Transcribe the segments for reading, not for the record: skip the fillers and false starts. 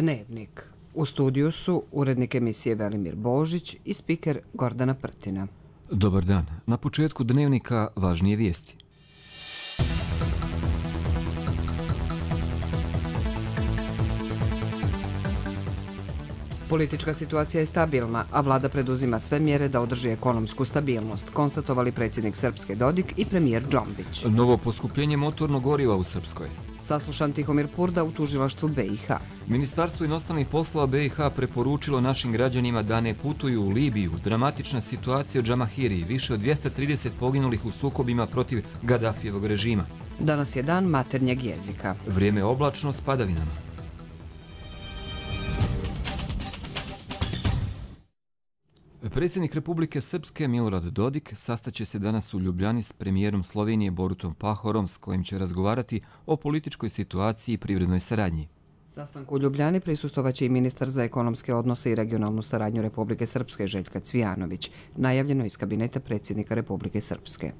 Dnevnik. U studiju su urednik emisije Velimir Božić i spiker Gordana Prtina. Dobar dan. Na početku Dnevnika važnije vijesti. Politička situacija je stabilna, a vlada preduzima sve mjere da održi ekonomsku stabilnost, konstatovali predsjednik Srpske Dodik i premijer Džombić. Novo poskupljenje motornog goriva u Srpskoj. Saslušan Tihomir Purda u tužilaštvu BiH. Ministarstvo inostranih poslova BiH preporučilo našim građanima da ne putuju u Libiju. Dramatična situacija u Džamahiriji, više od 230 poginulih u sukobima protiv Gadafijevog režima. Danas je dan maternjeg jezika. Vrijeme oblačno s padavinama. Predsjednik Republike Srpske Milorad Dodik sastaće se danas u Ljubljani s premijerom Slovenije Borutom Pahorom, s kojim će razgovarati o političkoj situaciji i privrednoj saradnji. Sastanku u Ljubljani prisustovaće i ministar za ekonomske odnose i regionalnu saradnju Republike Srpske Željka Cvijanović, najavljeno iz kabineta predsjednika Republike Srpske.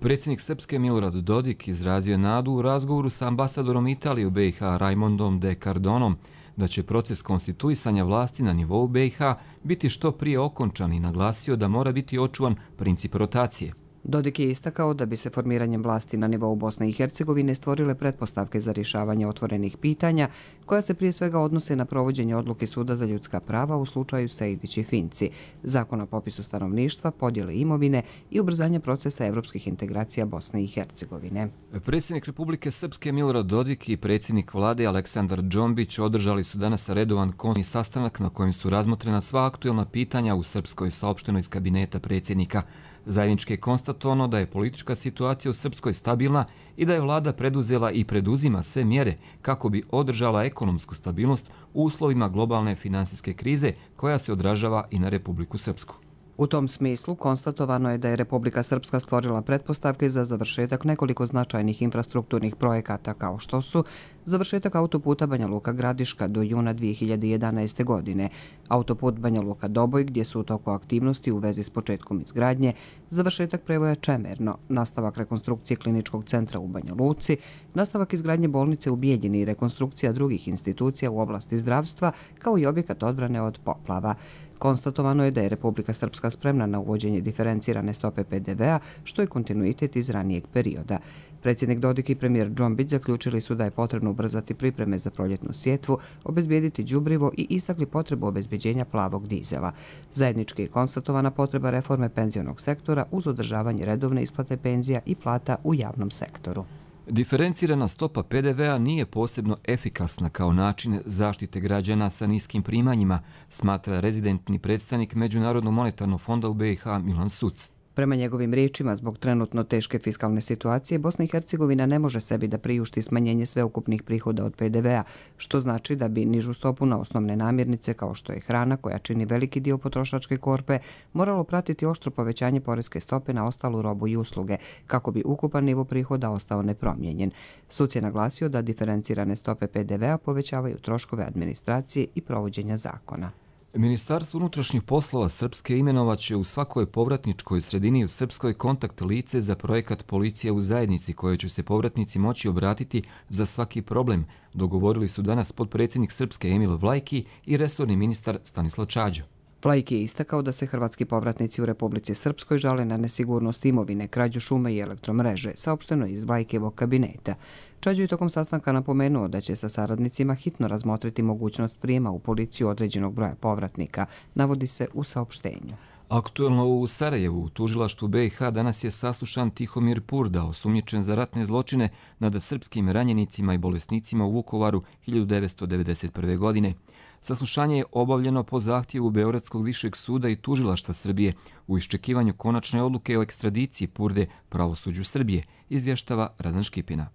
Predsjednik Srpske Milorad Dodik izrazio nadu u razgovoru sa ambasadorom Italije u BiH Raimondom de Cardonom da će proces konstituisanja vlasti na nivou BiH biti što prije okončan i naglasio da mora biti očuvan princip rotacije. Dodik je istakao da bi se formiranjem vlasti na nivou Bosne i Hercegovine stvorile pretpostavke za rješavanje otvorenih pitanja, koja se prije svega odnose na provođenje odluke Suda za ljudska prava u slučaju Sejdić i Finci, zakon o popisu stanovništva, podjele imovine i ubrzanje procesa evropskih integracija Bosne i Hercegovine. Predsjednik Republike Srpske Milorad Dodik i predsjednik vlade Aleksandar Džombić održali su danas redovan konstitutivni sastanak na kojem su razmotrena sva aktuelna pitanja u Srpskoj, saopšteno iz kabineta predsjednika. Zajednički je konstatovano da je politička situacija u Srpskoj stabilna i da je vlada preduzela i preduzima sve mjere kako bi održala ekonomsku stabilnost u uslovima globalne finansijske krize koja se odražava i na Republiku Srpsku. U tom smislu konstatovano je da je Republika Srpska stvorila pretpostavke za završetak nekoliko značajnih infrastrukturnih projekata kao što su završetak autoputa Banja Luka Gradiška do juna 2011. godine, autoput Banja Luka Doboj gdje su u toku aktivnosti u vezi s početkom izgradnje, završetak prevoja Čemerno, nastavak rekonstrukcije kliničkog centra u Banja Luci, nastavak izgradnje bolnice u Bijeljini i rekonstrukcija drugih institucija u oblasti zdravstva kao i objekat odbrane od poplava. Konstatovano je da je Republika Srpska spremna na uvođenje diferencirane stope PDV-a, što je kontinuitet iz ranijeg perioda. Predsjednik Dodik i premijer Džombić zaključili su da je potrebno ubrzati pripreme za proljetnu sjetvu, obezbijediti đubrivo i istakli potrebu obezbeđenja plavog dizela. Zajednički je konstatovana potreba reforme penzionog sektora uz održavanje redovne isplate penzija i plata u javnom sektoru. Diferencirana stopa PDV-a nije posebno efikasna kao način zaštite građana sa niskim primanjima, smatra rezidentni predstavnik Međunarodnog monetarnog fonda u BiH Milan Suc. Prema njegovim riječima, zbog trenutno teške fiskalne situacije, Bosna i Hercegovina ne može sebi da priušti smanjenje sveukupnih prihoda od PDV-a, što znači da bi nižu stopu na osnovne namirnice, kao što je hrana, koja čini veliki dio potrošačke korpe, moralo pratiti oštro povećanje poreske stope na ostalu robu i usluge, kako bi ukupan nivo prihoda ostao nepromijenjen. Suc je naglasio da diferencirane stope PDV-a povećavaju troškove administracije i provođenja zakona. Ministarstvo unutrašnjih poslova Srpske imenovaće u svakoj povratničkoj sredini u Srpskoj kontakt lice za projekat Policija u zajednici, koje će se povratnici moći obratiti za svaki problem, dogovorili su danas potpredsjednik Srpske Emil Vlajki i resorni ministar Stanislav Čađa. Vlajki je istakao da se hrvatski povratnici u Republici Srpskoj žale na nesigurnost imovine, krađu šume i elektromreže, saopšteno iz Vlajkijevog kabineta. Čađo je tokom sastanka napomenuo da će sa saradnicima hitno razmotriti mogućnost prijema u policiju određenog broja povratnika, navodi se u saopštenju. Aktuelno u Sarajevu, u tužilaštvu BiH, danas je saslušan Tihomir Purda, osumnjičen za ratne zločine nad srpskim ranjenicima i bolesnicima u Vukovaru 1991. godine. Saslušanje je obavljeno po zahtjevu Beogradskog višeg suda i tužilaštva Srbije u iščekivanju konačne odluke o ekstradiciji Purde pravosuđu Srbije, izvještava Radan Škipina.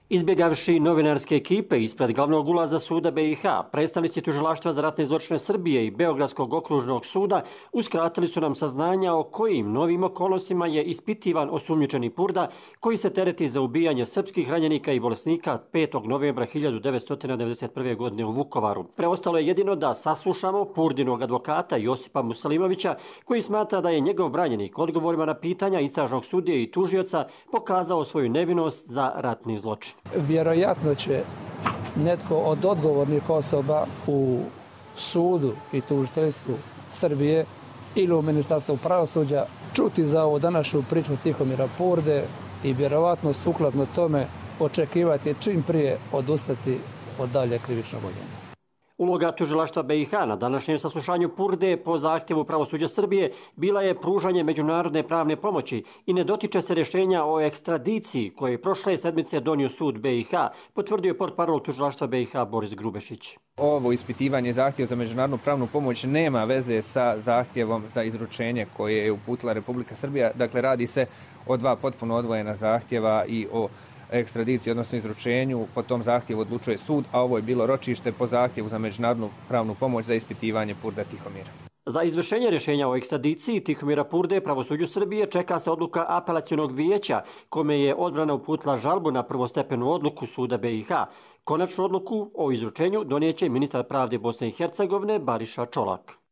Izbjegavši novinarske ekipe ispred glavnog ulaza suda BiH, predstavnici tužilaštva za ratne zločine Srbije i Beogradskog okružnog suda uskratili su nam saznanja o kojim novim okolnostima je ispitivan osumnjičeni Purda, koji se tereti za ubijanje srpskih ranjenika i bolesnika 5. novembra 1991. godine u Vukovaru. Preostalo je jedino da saslušamo Purdinog advokata Josipa Musalimovića, koji smatra da je njegov branjenik odgovorima na pitanja istražnog sudije i tužioca pokazao svoju nevinost za ratni zločin. Vjerojatno će netko od odgovornih osoba u sudu i tužiteljstvu Srbije ili u Ministarstvu pravosuđa čuti za ovu današnju priču Tihomira Purde i vjerovatno sukladno tome očekivati čim prije odustati od dalje krivičnog gonjenja. Uloga tužilaštva BiH na današnjem saslušanju Purde po zahtjevu pravosuđa Srbije bila je pružanje međunarodne pravne pomoći i ne dotiče se rješenja o ekstradiciji koje je prošle sedmice donio sud BiH, potvrdio je portparol tužilaštva BiH Boris Grubešić. Ovo ispitivanje zahtjeva za međunarodnu pravnu pomoć nema veze sa zahtjevom za izručenje koje je uputila Republika Srbija. Dakle, radi se o dva potpuno odvojena zahtjeva i o ekstradiciji, odnosno izručenju. Po tom zahtjevu odlučuje sud, a ovo je bilo ročište po zahtjevu za međunarodnu pravnu pomoć za ispitivanje Purda Tihomira. Za izvršenje rješenja o ekstradiciji Tihomira Purde pravosuđu Srbije čeka se odluka apelacionog vijeća, kome je odbrana uputila žalbu na prvostepenu odluku suda BiH. Konačnu odluku o izručenju donijeće ministar pravde Bosne i Hercegovine Bariša Čolak.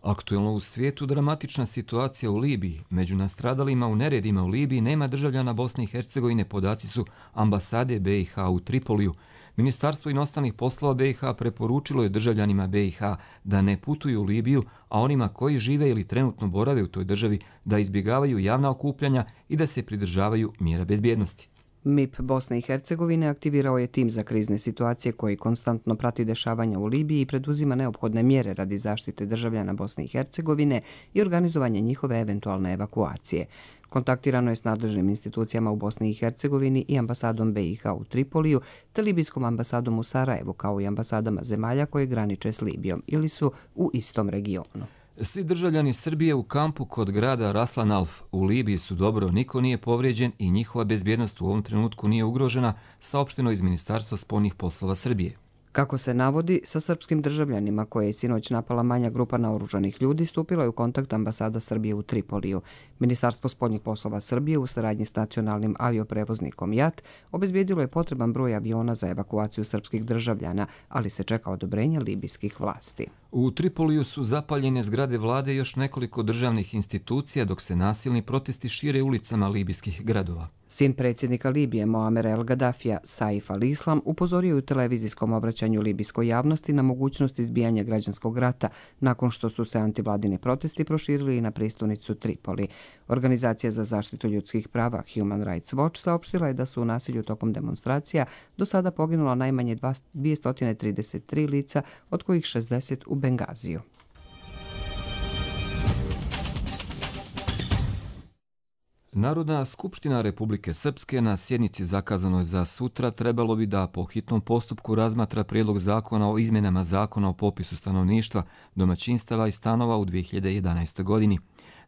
Aktuelno u svijetu dramatična situacija u Libiji. Među nastradalima u neredima u Libiji nema državljana Bosne i Hercegovine, podaci su ambasade BiH u Tripoliju. Ministarstvo inostranih poslova BiH preporučilo je državljanima BiH da ne putuju u Libiju, a onima koji žive ili trenutno borave u toj državi da izbjegavaju javna okupljanja i da se pridržavaju mjera bezbjednosti. MIP Bosne i Hercegovine aktivirao je tim za krizne situacije koji konstantno prati dešavanja u Libiji i preduzima neophodne mjere radi zaštite državljana Bosne i Hercegovine i organizovanje njihove eventualne evakuacije. Kontaktirano je s nadležnim institucijama u Bosni i Hercegovini i ambasadom BiH u Tripoliju, te libijskom ambasadom u Sarajevu, kao i ambasadama zemalja koje graniče s Libijom ili su u istom regionu. Svi državljani Srbije u kampu kod grada Raslan Alf u Libiji su dobro, niko nije povrijeđen i njihova bezbjednost u ovom trenutku nije ugrožena, saopšteno iz Ministarstva spoljnih poslova Srbije. Kako se navodi, sa srpskim državljanima koje je sinoć napala manja grupa naoružanih ljudi stupila je u kontakt ambasada Srbije u Tripoliju. Ministarstvo spoljnih poslova Srbije u saradnji s nacionalnim avioprevoznikom JAT obezbijedilo je potreban broj aviona za evakuaciju srpskih državljana, ali se čeka odobrenje libijskih vlasti. U Tripoliju su zapaljene zgrade vlade i još nekoliko državnih institucija, dok se nasilni protesti šire ulicama libijskih gradova. Sin predsjednika Libije Moamer El Gaddafija, Saif al-Islam, upozorio je u televizijskom obraćanju libijskoj javnosti na mogućnost izbijanja građanskog rata nakon što su se antivladini protesti proširili i na prijestolnicu Tripoli. Organizacija za zaštitu ljudskih prava Human Rights Watch saopštila je da su u nasilju tokom demonstracija do sada poginula najmanje 233 lica, od kojih 60 u Bengaziju. Narodna skupština Republike Srpske na sjednici zakazanoj za sutra trebalo bi da po hitnom postupku razmatra prijedlog zakona o izmjenama zakona o popisu stanovništva, domaćinstava i stanova u 2011. godini.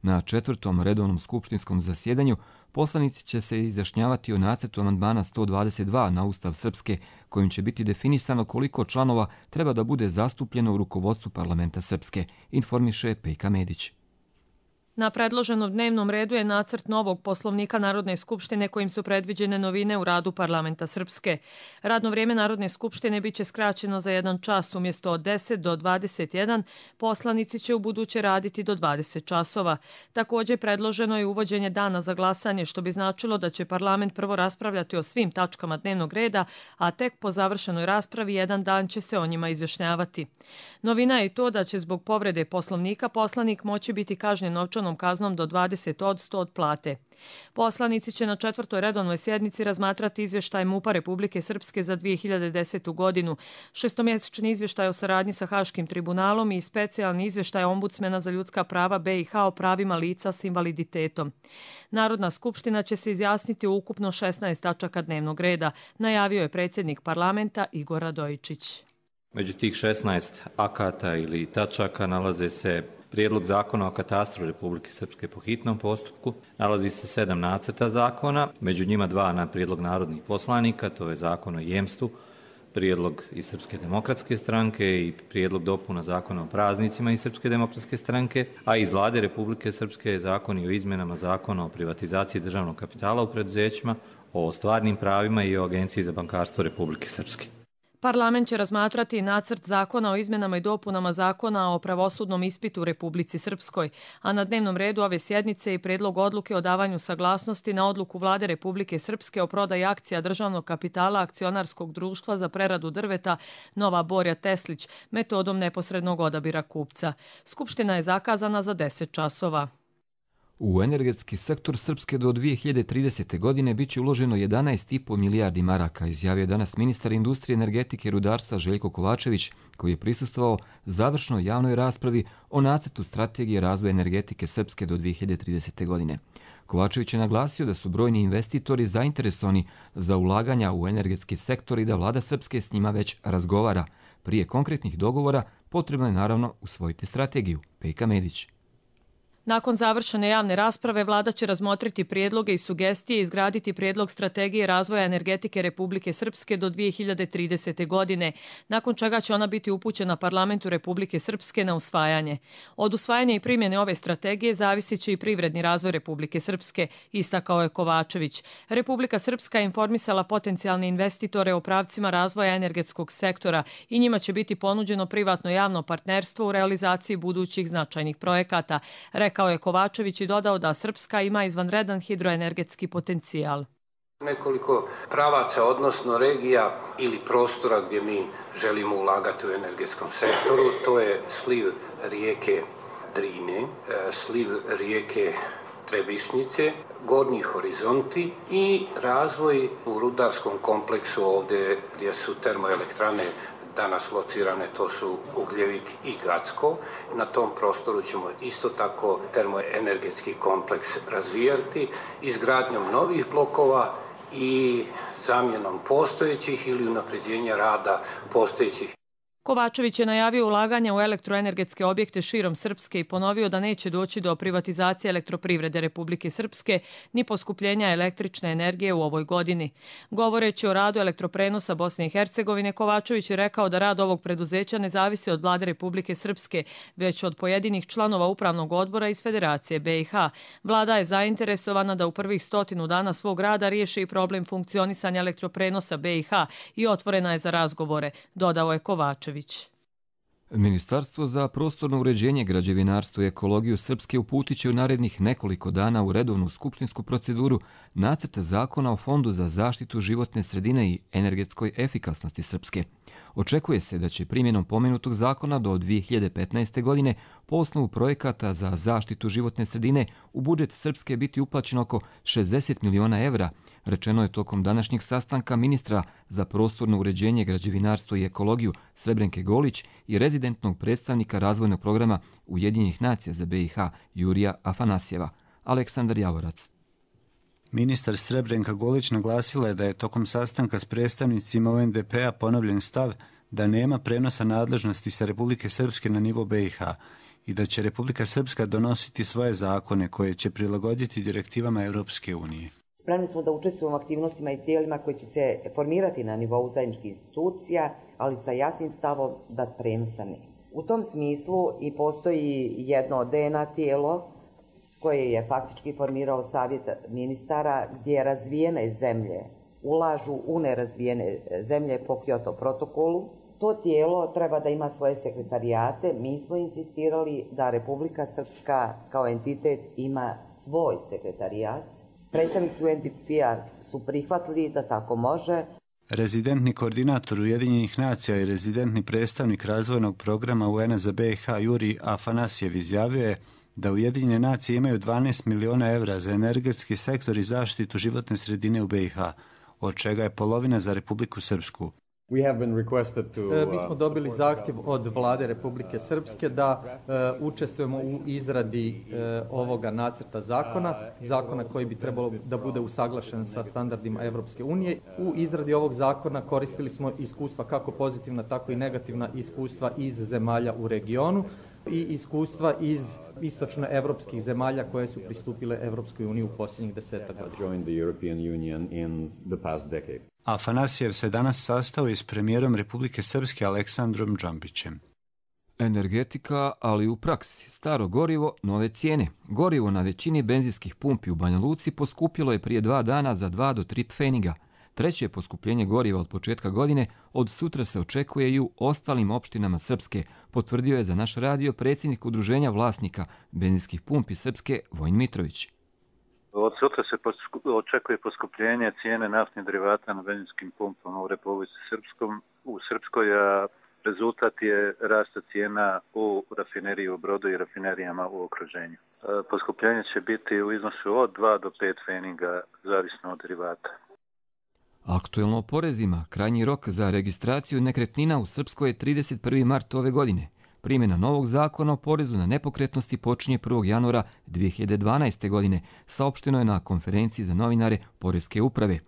Na 4. redovnom skupštinskom zasjedanju poslanici će se izjašnjavati o nacrtu amandmana 122 na Ustav Srpske, kojim će biti definisano koliko članova treba da bude zastupljeno u rukovodstvu parlamenta Srpske, informiše Pejka Medić. Na predloženom dnevnom redu je nacrt novog poslovnika Narodne skupštine kojim su predviđene novine u radu parlamenta Srpske. Radno vrijeme Narodne skupštine biće skraćeno za 1 čas, umjesto od 10 do 21, poslanici će u buduće raditi do 20 časova. Također predloženo je uvođenje dana za glasanje, što bi značilo da će parlament prvo raspravljati o svim tačkama dnevnog reda, a tek po završenoj raspravi 1 dan će se o njima izjašnjavati. Novina je to da će zbog povrede poslovnika poslanik moći biti kažnjen novčanom kaznom do 20% od plate. Poslanici će na 4. redovnoj sjednici razmatrati izvještaj MUP-a Republike Srpske za 2010. godinu, 6-mjesečni izvještaj o saradnji sa Haškim tribunalom i specijalni izvještaj ombudsmena za ljudska prava BiH o pravima lica s invaliditetom. Narodna skupština će se izjasniti u ukupno 16 tačaka dnevnog reda, najavio je predsjednik parlamenta Igor Radojičić. Među tih 16 akata ili tačaka nalaze se Prijedlog zakona o katastru Republike Srpske po hitnom postupku, nalazi se 7 nacrta zakona, među njima 2 na prijedlog narodnih poslanika, to je zakon o jemstvu, prijedlog iz Srpske demokratske stranke i prijedlog dopuna zakona o praznicima iz Srpske demokratske stranke, a iz Vlade Republike Srpske je zakon o izmjenama zakona o privatizaciji državnog kapitala u preduzećima, o stvarnim pravima i o Agenciji za bankarstvo Republike Srpske. Parlament će razmatrati nacrt zakona o izmjenama i dopunama zakona o pravosudnom ispitu u Republici Srpskoj, a na dnevnom redu ove sjednice i predlog odluke o davanju saglasnosti na odluku Vlade Republike Srpske o prodaji akcija državnog kapitala akcionarskog društva za preradu drveta Nova Borja Teslić metodom neposrednog odabira kupca. Skupština je zakazana za 10 časova. U energetski sektor Srpske do 2030. godine biće uloženo 11,5 milijardi maraka, izjavio je danas ministar industrije, energetike i rudarstva Željko Kovačević, koji je prisustvovao završnoj javnoj raspravi o nacrtu strategije razvoja energetike Srpske do 2030. godine. Kovačević je naglasio da su brojni investitori zainteresovani za ulaganja u energetski sektor i da vlada Srpske s njima već razgovara. Prije konkretnih dogovora potrebno je naravno usvojiti strategiju. Pejka Medić. Nakon završene javne rasprave, vlada će razmotriti prijedloge i sugestije i izgraditi prijedlog strategije razvoja energetike Republike Srpske do 2030. godine, nakon čega će ona biti upućena Parlamentu Republike Srpske na usvajanje. Od usvajanja i primjene ove strategije zavisit će i privredni razvoj Republike Srpske, istakao je Kovačević. Republika Srpska je informisala potencijalne investitore o pravcima razvoja energetskog sektora i njima će biti ponuđeno privatno javno partnerstvo u realizaciji budućih značajnih projekata, rekao je Kovačević i dodao da Srpska ima izvanredan hidroenergetski potencijal. Nekoliko pravaca, odnosno regija ili prostora gdje mi želimo ulagati u energetskom sektoru, to je sliv rijeke Drine, sliv rijeke Trebišnjice, Gornji horizonti i razvoj u rudarskom kompleksu ovdje gdje su termoelektrane danas locirane, to su Ugljevik i Gacko. Na tom prostoru ćemo isto tako termoenergetski kompleks razvijati izgradnjom novih blokova i zamjenom postojećih ili unapređenja rada postojećih. Kovačević je najavio ulaganja u elektroenergetske objekte širom Srpske i ponovio da neće doći do privatizacije elektroprivrede Republike Srpske ni poskupljenja električne energije u ovoj godini. Govoreći o radu elektroprenosa Bosne i Hercegovine, Kovačević je rekao da rad ovog preduzeća ne zavisi od vlade Republike Srpske, već od pojedinih članova upravnog odbora iz Federacije BiH. Vlada je zainteresovana da u prvih 100 dana svog rada riješi i problem funkcionisanja elektroprenosa BiH i otvorena je za razgovore, dodao je Kovačević. Ministarstvo za prostorno uređenje, građevinarstvo i ekologiju Srpske uputit će u narednih nekoliko dana u redovnu skupštinsku proceduru nacrt zakona o Fondu za zaštitu životne sredine i energetskoj efikasnosti Srpske. Očekuje se da će primjenom pomenutog zakona do 2015. godine po osnovu projekata za zaštitu životne sredine u budžet Srpske biti uplaćeno oko 60 miliona evra, rečeno je tokom današnjeg sastanka ministra za prostorno uređenje, građevinarstvo i ekologiju Srebrenke Golić i rezidentnog predstavnika razvojnog programa Ujedinjenih nacija za BiH Jurija Afanasjeva. Aleksandar Javorac. Ministar Srebrenka Golić naglasila je da je tokom sastanka s predstavnicima UNDP-a ponovljen stav da nema prenosa nadležnosti sa Republike Srpske na nivo BiH i da će Republika Srpska donositi svoje zakone koje će prilagoditi direktivama Europske unije. Spremni smo da učestvujemo u aktivnostima i tijelima koji će se formirati na nivou zajedničkih institucija, ali sa jasnim stavom da prenosa nema. U tom smislu i postoji jedno DNA tijelo koje je faktički formirao Savjet ministara gdje razvijene zemlje ulažu u nerazvijene zemlje po Kyoto protokolu. To tijelo treba da ima svoje sekretarijate. Mi smo insistirali da Republika Srpska kao entitet ima svoj sekretarijat. Predstavnici UNDP-a su prihvatili da tako može. Rezidentni koordinator Ujedinjenih nacija i rezidentni predstavnik razvojnog programa UN za BiH Jurij Afanasjev izjavio je da Ujedinjene nacije imaju 12 miliona evra za energetski sektor i zaštitu životne sredine u BiH, od čega je polovina za Republiku Srpsku. Mi smo dobili zahtjev od vlade Republike Srpske da učestvujemo u izradi ovoga nacrta zakona koji bi trebalo da bude usaglašen sa standardima Evropske unije. U izradi ovog zakona koristili smo iskustva kako pozitivna, tako i negativna iskustva iz zemalja u regionu i iskustva iz istočnoevropskih zemalja koje su pristupile Evropskoj uniji u posljednjih 10 godina. Afanasjev se danas sastao i s premijerom Republike Srpske Aleksandrom Džambićem. Energetika, ali u praksi. Staro gorivo, nove cijene. Gorivo na većini benzinskih pumpi u Banja Luci poskupilo je prije 2 dana za 2 do 3 pfeniga. Treće poskupljenje goriva od početka godine od sutra se očekuje i u ostalim opštinama Srpske, potvrdio je za naš radio predsjednik Udruženja vlasnika benzinskih pumpi Srpske Vojin Mitrović. Od sutra se očekuje poskupljenje cijene naftnih derivata na benzinskim pumpama u Republici Srpskoj, a rezultat je rasta cijena u rafineriji u Brodu i rafinerijama u okruženju. Poskupljenje će biti u iznosu od 2 do 5 pfeninga, zavisno od derivata. Aktuelno o porezima, krajnji rok za registraciju nekretnina u Srpskoj je 31. mart ove godine. Primjena novog zakona o porezu na nepokretnosti počinje 1. januara 2012. godine, saopšteno je na konferenciji za novinare Poreske uprave.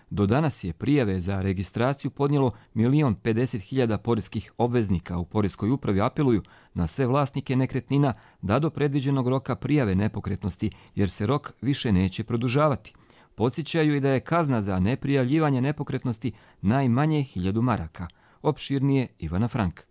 Do danas je prijave za registraciju podnijelo 1.050.000 poreskih obveznika. U Poreskoj upravi apeluju na sve vlasnike nekretnina da do predviđenog roka prijave nepokretnosti, jer se rok više neće produžavati. Podsjećaju i da je kazna za neprijavljivanje nepokretnosti najmanje 1.000 maraka. Opširnije Ivana Frank.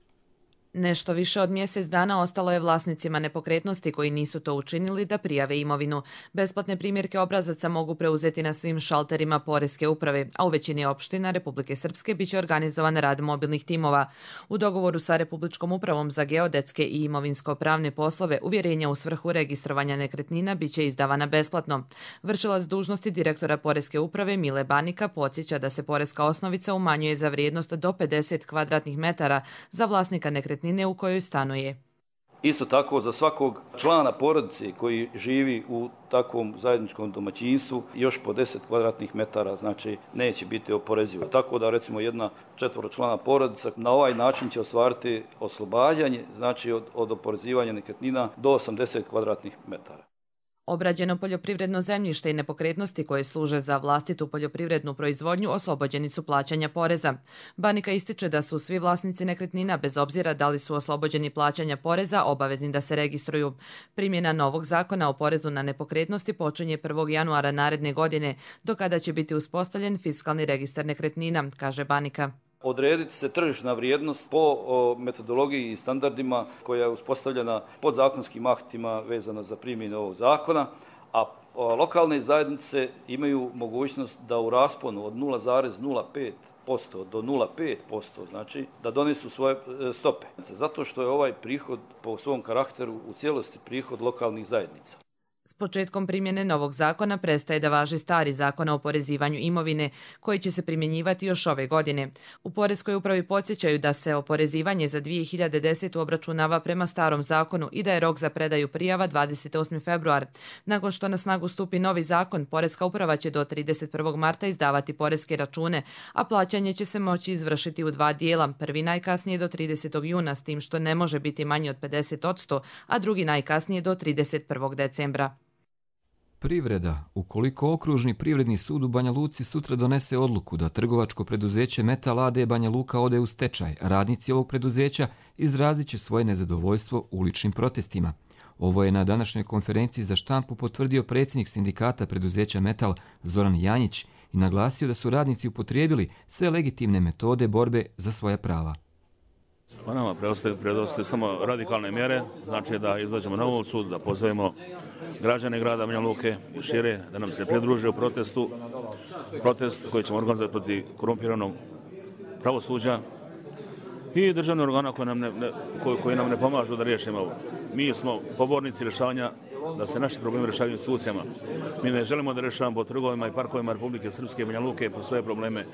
Nešto više od mjesec dana ostalo je vlasnicima nepokretnosti koji nisu to učinili da prijave imovinu. Besplatne primjerke obrazaca mogu preuzeti na svim šalterima Poreske uprave, a u većini opština Republike Srpske biće organizovan rad mobilnih timova. U dogovoru sa Republičkom upravom za geodetske i imovinsko-pravne poslove uvjerenja u svrhu registrovanja nekretnina biće izdavana besplatno. Vršilac dužnosti direktora Poreske uprave Mile Banika podsjeća da se poreska osnovica umanjuje za vrijednost do 50 kvadratnih metara za vlasnika nekretnine u kojoj stanuje. Isto tako za svakog člana porodice koji živi u takvom zajedničkom domaćinstvu još po 10 kvadratnih metara, znači neće biti oporezivo. Tako da recimo jedna 4-člana porodica na ovaj način će ostvariti oslobađanje, znači od oporezivanja nekretnina do 80 kvadratnih metara. Obrađeno poljoprivredno zemljište i nepokretnosti koje služe za vlastitu poljoprivrednu proizvodnju oslobođeni su plaćanja poreza. Banika ističe da su svi vlasnici nekretnina, bez obzira da li su oslobođeni plaćanja poreza, obavezni da se registruju. Primjena novog zakona o porezu na nepokretnosti počinje 1. januara naredne godine, do kada će biti uspostavljen fiskalni registar nekretnina, kaže Banika. Odrediti se tržišna vrijednost po metodologiji i standardima koja je uspostavljena podzakonskim aktima vezano za primjenu ovog zakona, a lokalne zajednice imaju mogućnost da u rasponu od 0,05% do 0,5%, znači da donesu svoje stope. Zato što je ovaj prihod po svom karakteru u cijelosti prihod lokalnih zajednica. S početkom primjene novog zakona prestaje da važi stari zakon o oporezivanju imovine, koji će se primjenjivati još ove godine. U Poreskoj upravi podsjećaju da se oporezivanje za 2010. obračunava prema starom zakonu i da je rok za predaju prijava 28. februar. Nakon što na snagu stupi novi zakon, Poreska uprava će do 31. marta izdavati poreske račune, a plaćanje će se moći izvršiti u 2 dijela. Prvi najkasnije do 30. juna, s tim što ne može biti manji od 50%, a drugi najkasnije do 31. decembra. Privreda. Ukoliko Okružni privredni sud u Banja Luci sutra donese odluku da trgovačko preduzeće Metal AD Banja Luka ode u stečaj, radnici ovog preduzeća izrazit će svoje nezadovoljstvo uličnim protestima. Ovo je na današnjoj konferenciji za štampu potvrdio predsjednik sindikata preduzeća Metal Zoran Janjić i naglasio da su radnici upotrijebili sve legitimne metode borbe za svoja prava. Pa nama preostaje samo radikalne mjere, znači da izađemo na ulicu, da pozovemo građane grada Banja Luke i šire da nam se pridruže u protestu. Protest koji ćemo organizovati protiv korumpiranog pravosuđa i državne organa koji nam ne pomažu da riješimo ovo. Mi smo pobornici rješavanja, da se naši problemi rješavaju institucijama. Mi ne želimo da rješavamo po trgovima i parkovima Republike Srpske i Banja Luke po svoje probleme.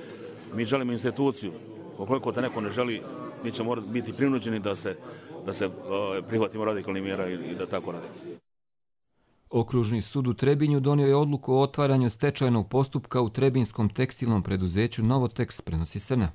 Mi želimo instituciju. Ukoliko te neko ne želi, mi ćemo biti prinuđeni da se prihvatimo radikalnih mjera i da tako radimo. Okružni sud u Trebinju donio je odluku o otvaranju stečajnog postupka u trebinskom tekstilnom preduzeću Novotex, prenosi Srna.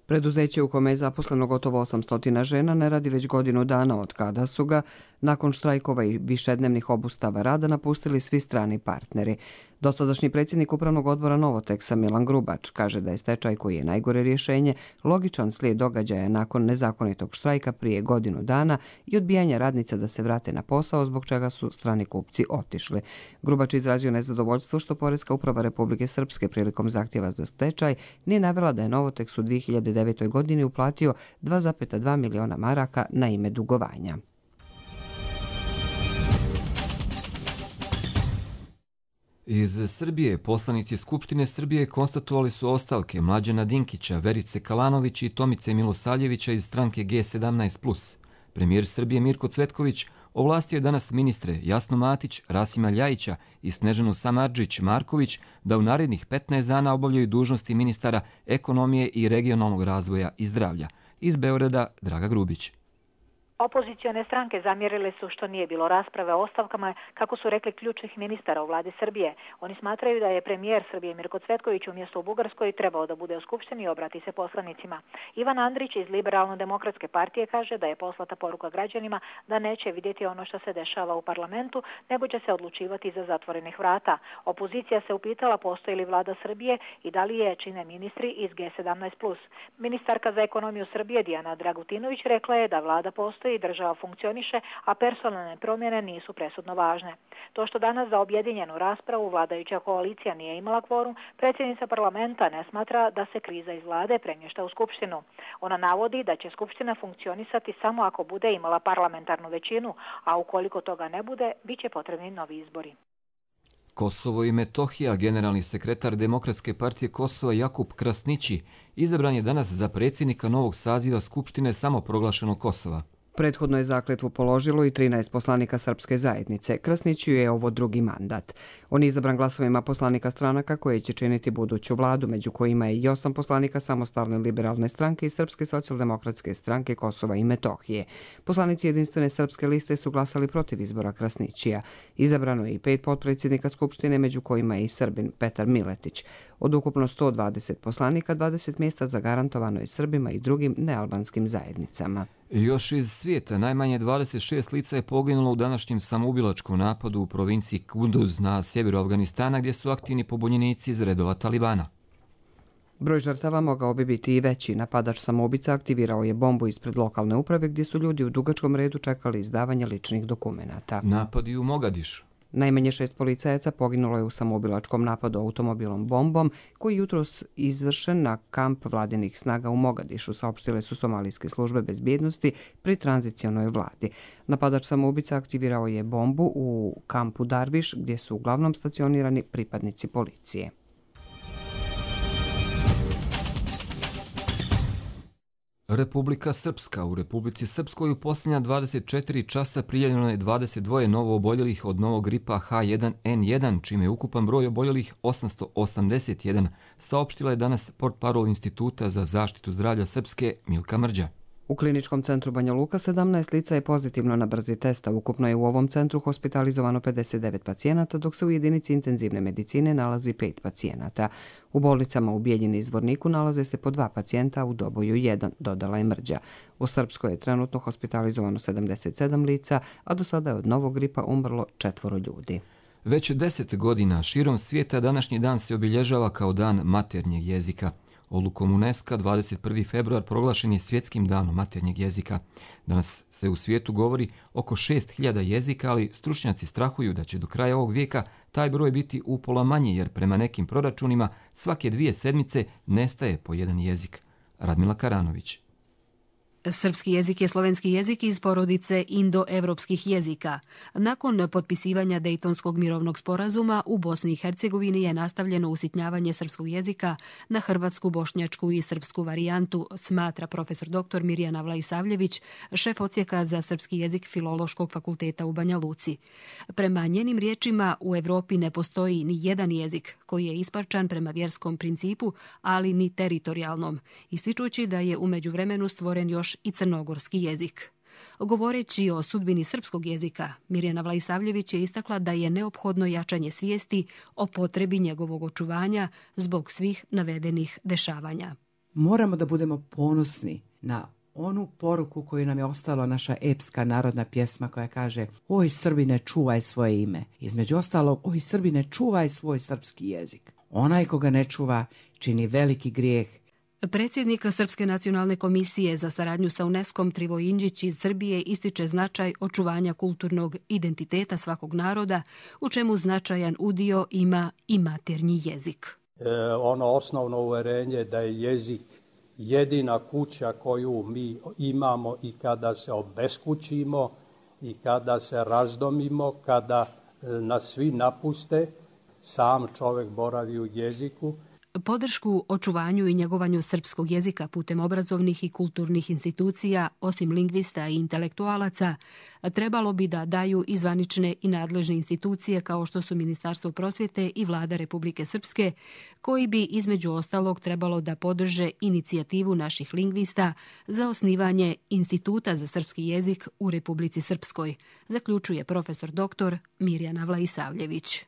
Preduzeće u kome je zaposleno gotovo 800 žena ne radi već godinu dana od kada su ga, nakon štrajkova i višednevnih obustava rada, napustili svi strani partneri. Dosadašnji predsjednik upravnog odbora Novoteksa Milan Grubač kaže da je stečaj, koji je najgore rješenje, logičan slijed događaja nakon nezakonitog štrajka prije godinu dana i odbijanja radnica da se vrate na posao, zbog čega su strani kupci otišli. Grubač izrazio nezadovoljstvo što Poreska uprava Republike Srpske prilikom zahtjeva za stečaj nije navela da je Novoteks u 2009. godini uplatio 2,2 miliona maraka na ime dugovanja. Iz Srbije poslanici Skupštine Srbije konstatovali su ostavke Mlađana Dinkića, Verice Kalanović i Tomice Milosavljevića iz stranke G17+. Premijer Srbije Mirko Cvetković ovlastio je danas ministre Jasnu Matić, Rasima Ljajića i Snežanu Samardžić-Marković da u narednih 15 dana obavljaju dužnosti ministara ekonomije i regionalnog razvoja i zdravlja. Iz Beograda Draga Grubić. Opozicione stranke zamjerile su što nije bilo rasprave o ostavkama, kako su rekli, ključnih ministara u vladi Srbije. Oni smatraju da je premijer Srbije Mirko Cvetković umjesto u Bugarskoj trebao da bude u Skupštini i obrati se poslanicima. Ivan Andrić iz Liberalno-demokratske partije kaže da je poslata poruka građanima da neće vidjeti ono što se dešava u parlamentu, nego će se odlučivati iza zatvorenih vrata. Opozicija se upitala postoji li vlada Srbije i da li je čine ministri iz G17+. Ministarka za ekonomiju Srbije Dijana Dragutinović rekla je da vlada postoji i država funkcioniše, a personalne promjene nisu presudno važne. To što danas za objedinjenu raspravu vladajuća koalicija nije imala kvorum, predsjednica parlamenta ne smatra da se kriza iz vlade premješta u Skupštinu. Ona navodi da će Skupština funkcionisati samo ako bude imala parlamentarnu većinu, a ukoliko toga ne bude, bit će potrebni novi izbori. Kosovo i Metohija, generalni sekretar Demokratske partije Kosova Jakub Krasnići, izabran je danas za predsjednika novog saziva Skupštine samoproglašenog Kosova. Prethodno je zakletvu položilo i 13 poslanika Srpske zajednice. Krasniću je ovo drugi mandat. On je izabran glasovima poslanika stranaka koje će činiti buduću vladu, među kojima je i 8 poslanika Samostalne liberalne stranke i Srpske socijaldemokratske stranke Kosova i Metohije. Poslanici Jedinstvene srpske liste su glasali protiv izbora Krasnićija. Izabrano je i 5 potpredsjednika Skupštine, među kojima je i Srbin Petar Miletić. Od ukupno 120 poslanika, 20 mjesta zagarantovano je Srbima i drugim nealbanskim zajednicama. Još iz svijeta najmanje 26 lica je poginulo u današnjem samoubilačkom napadu u provinciji Kunduz na sjeveru Afganistana, gdje su aktivni pobunjenici iz redova Talibana. Broj žrtava mogao bi biti i veći. Napadač samoubica aktivirao je bombu ispred lokalne uprave, gdje su ljudi u dugačkom redu čekali izdavanje ličnih dokumenata. Napadi u Mogadišu. Najmanje 6 policajaca poginulo je u samoubilačkom napadu automobilom bombom, koji jutros izvršen na kamp vladinih snaga u Mogadišu, saopštile su somalijske službe bezbjednosti pri tranzicionoj vladi. Napadač samoubica aktivirao je bombu u kampu Darviš, gdje su uglavnom stacionirani pripadnici policije. Republika Srpska. U Republici Srpskoj u posljednja 24 časa prijavljeno je 22 novo oboljelih od novog gripa H1N1, čime je ukupan broj oboljelih 881, saopštila je danas portparol Instituta za zaštitu zdravlja Srpske Milka Mrđa. U kliničkom centru Banja Luka 17 lica je pozitivno na brzi test, a ukupno je u ovom centru hospitalizovano 59 pacijenata, dok se u jedinici intenzivne medicine nalazi 5 pacijenata. U bolnicama u Bijeljini i Zvorniku nalaze se po 2 pacijenta, a u Doboju 1, dodala je Mrđa. U Srpskoj je trenutno hospitalizovano 77 lica, a do sada je od novog gripa umrlo 4 ljudi. Već 10 godina širom svijeta današnji dan se obilježava kao dan maternjeg jezika. Odlukom UNESCO 21. februar proglašen je svjetskim danom maternjeg jezika. Danas se u svijetu govori oko 6000 jezika, ali stručnjaci strahuju da će do kraja ovog vijeka taj broj biti upola manji, jer prema nekim proračunima svake 2 sedmice nestaje po jedan jezik. Radmila Karanović. Srpski jezik je slovenski jezik iz porodice indoevropskih jezika. Nakon potpisivanja Dejtonskog mirovnog sporazuma u Bosni i Hercegovini je nastavljeno usitnjavanje srpskog jezika na hrvatsku, bošnjačku i srpsku varijantu, smatra profesor dr. Mirjana Vlaisavljević, šef odsjeka za srpski jezik Filološkog fakulteta u Banja Luci. Prema njenim riječima, u Evropi ne postoji ni jedan jezik koji je isparčan prema vjerskom principu, ali ni teritorijalnom, ističući da je u međuvremenu stvoren još i crnogorski jezik. Govoreći o sudbini srpskog jezika, Mirjana Vlaisavljević je istakla da je neophodno jačanje svijesti o potrebi njegovog očuvanja zbog svih navedenih dešavanja. Moramo da budemo ponosni na onu poruku koju nam je ostala naša epska narodna pjesma koja kaže: oj Srbine, čuvaj svoje ime. Između ostalog, oj Srbine, čuvaj svoj srpski jezik. Onaj koga ne čuva čini veliki grijeh. Predsjednik Srpske nacionalne komisije za saradnju sa UNESCO-om Trivo Indžić iz Srbije ističe značaj očuvanja kulturnog identiteta svakog naroda, u čemu značajan udio ima i maternji jezik. Ono osnovno uverenje da je jezik jedina kuća koju mi imamo i kada se obeskućimo i kada se razdomimo, kada nas svi napuste, sam čovjek boravi u jeziku. Podršku očuvanju i njegovanju srpskog jezika putem obrazovnih i kulturnih institucija, osim lingvista i intelektualaca, trebalo bi da daju i zvanične i nadležne institucije kao što su Ministarstvo prosvjete i Vlada Republike Srpske, koji bi između ostalog trebalo da podrže inicijativu naših lingvista za osnivanje Instituta za srpski jezik u Republici Srpskoj, zaključuje profesor dr. Mirjana Vlaisavljević.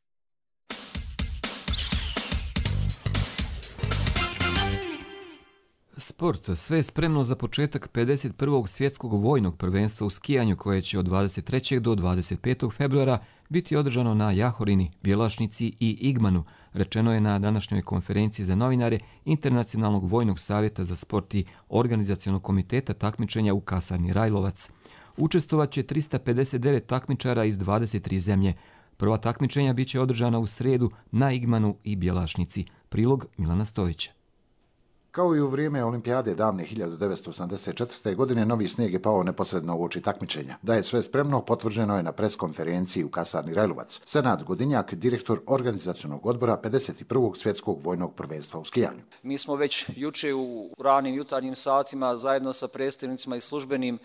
Sport. Sve je spremno za početak 51. svjetskog vojnog prvenstva u skijanju koje će od 23. do 25. februara biti održano na Jahorini, Bjelašnici i Igmanu, rečeno je na današnjoj konferenciji za novinare Internacionalnog vojnog savjeta za sport i organizacionog komiteta takmičenja u kasarni Rajlovac. Učestvovaće 359 takmičara iz 23 zemlje. Prva takmičenja biće održana u sredu na Igmanu i Bjelašnici. Prilog Milana Stojića. Kao i u vrijeme olimpijade davne 1984. godine, novi snijeg je pao neposredno uoči takmičenja. Da je sve spremno, potvrđeno je na preskonferenciji u kasarni Rajlovac. Senad Godinjak, direktor organizacionog odbora 51. svjetskog vojnog prvenstva u skijanju. Mi smo već juče u ranim jutarnjim satima zajedno sa predstavnicima i službenim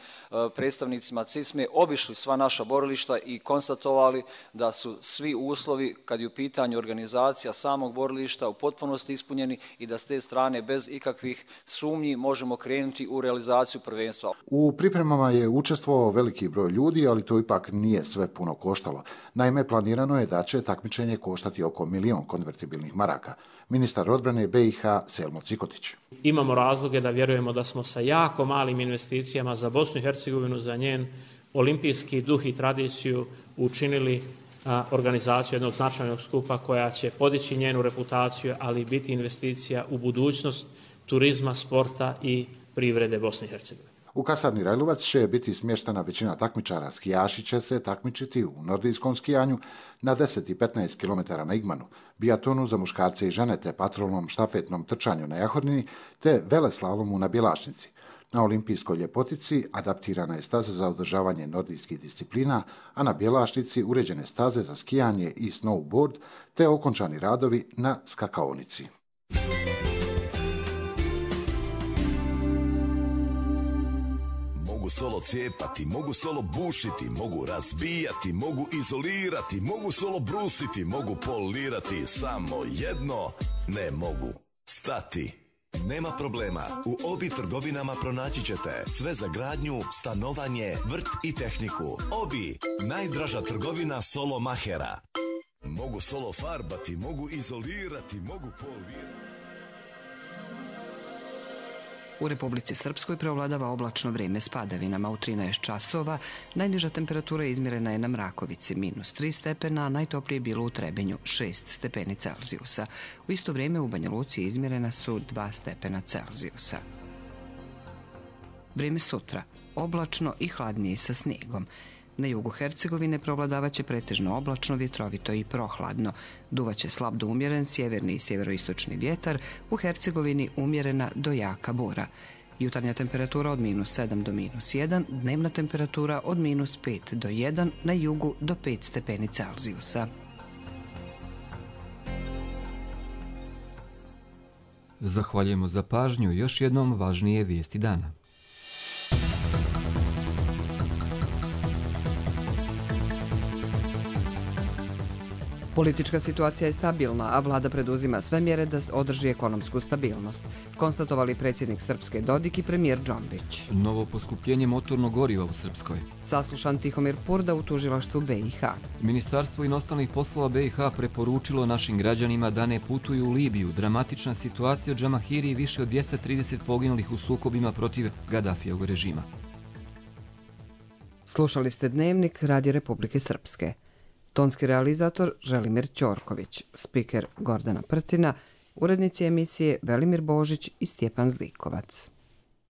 predstavnicima CISME obišli sva naša borilišta i konstatovali da su svi uslovi, kad je u pitanju organizacija samog borilišta, u potpunosti ispunjeni i da s te strane bez ikakvih sumnji možemo krenuti u realizaciju prvenstva. U pripremama je učestvovao veliki broj ljudi, ali to ipak nije sve puno koštalo. Naime, planirano je da će takmičenje koštati oko 1 milion konvertibilnih maraka. Ministar odbrane BiH Selmo Cikotić. Imamo razloge da vjerujemo da smo sa jako malim investicijama za Bosnu i Hercegovinu, za njen olimpijski duh i tradiciju učinili organizaciju jednog značajnog skupa koja će podići njenu reputaciju, ali biti investicija u budućnost turizma, sporta i privrede Bosne i Hercegovine. U kasarni Rajlovac će biti smještena većina takmičara. Skijaši će se takmičiti u nordijskom skijanju na 10 i 15 km na Igmanu, bijatonu za muškarce i žene te patrolnom štafetnom trčanju na Jahorini te veleslalomu na Bjelašnici. Na olimpijskoj ljepotici adaptirana je staza za održavanje nordijskih disciplina, a na Bjelašnici uređene staze za skijanje i snowboard te okončani radovi na skakaonici. Mogu solo cijepati, mogu solo bušiti, mogu razbijati, mogu izolirati, mogu solo brusiti, mogu polirati, samo jedno ne mogu stati. Nema problema, u Obi trgovinama pronaći ćete sve za gradnju, stanovanje, vrt i tehniku. Obi, najdraža trgovina solo mahera. Mogu solo farbati, mogu izolirati, mogu polirati. U Republici Srpskoj preovladava oblačno vrijeme s padavinama u 13 časova. Najniža temperatura izmjerena je na Mrakovici -3 stepena, a najtoplije bilo u Trebinju 6 stepeni Celzijusa. U isto vrijeme u Banja Luci izmjerena su 2 stepena Celzijusa. Vrijeme sutra. Oblačno i hladnije sa snijegom. Na jugu Hercegovine prevladavaće pretežno oblačno, vjetrovito i prohladno. Duvaće slab do umjeren sjeverni i sjeveroistočni vjetar, u Hercegovini umjerena do jaka bura. Jutarnja temperatura od -7 do -1, dnevna temperatura od -5 do 1, na jugu do 5 stepeni Celzijusa. Zahvaljujemo za pažnju. Još jednom važnije vijesti dana. Politička situacija je stabilna, a vlada preduzima sve mjere da održi ekonomsku stabilnost, konstatovali predsjednik Srpske Dodik i premijer Džombić. Novo poskupljenje motornog goriva u Srpskoj. Saslušan Tihomir Purda u tužilaštvu BiH. Ministarstvo inostranih poslova BiH preporučilo našim građanima da ne putuju u Libiju. Dramatična situacija u Džamahiri i više od 230 poginulih u sukobima protiv Gadafijevog režima. Slušali ste Dnevnik Radija Republike Srpske. Tonski realizator Želimir Ćorković, spiker Gordana Prtina, urednici emisije Velimir Božić i Stjepan Zlikovac.